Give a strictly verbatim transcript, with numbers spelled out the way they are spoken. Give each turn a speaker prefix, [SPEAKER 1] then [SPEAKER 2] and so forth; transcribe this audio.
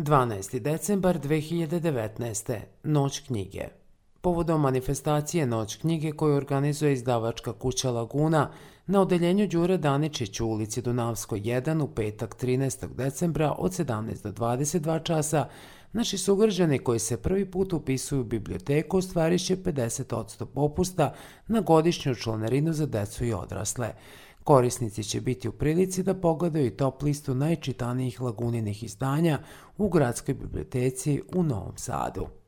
[SPEAKER 1] dvanaesti decembar dve hiljade devetnaeste. Noć knjige. Povodom manifestacije Noć knjige koju organizuje izdavačka kuća Laguna na odeljenju Đure Daničić u ulici Dunavskoj jedan u petak trinaestog decembra od sedamnaest do dvadeset dva časa, naši sugrađani koji se prvi put upisuju u biblioteku ostvarit će pedeset posto popusta na godišnju članarinu za decu i odrasle. Korisnici će biti u prilici da pogledaju top listu najčitanijih Laguninih izdanja u Gradskoj biblioteci u Novom Sadu.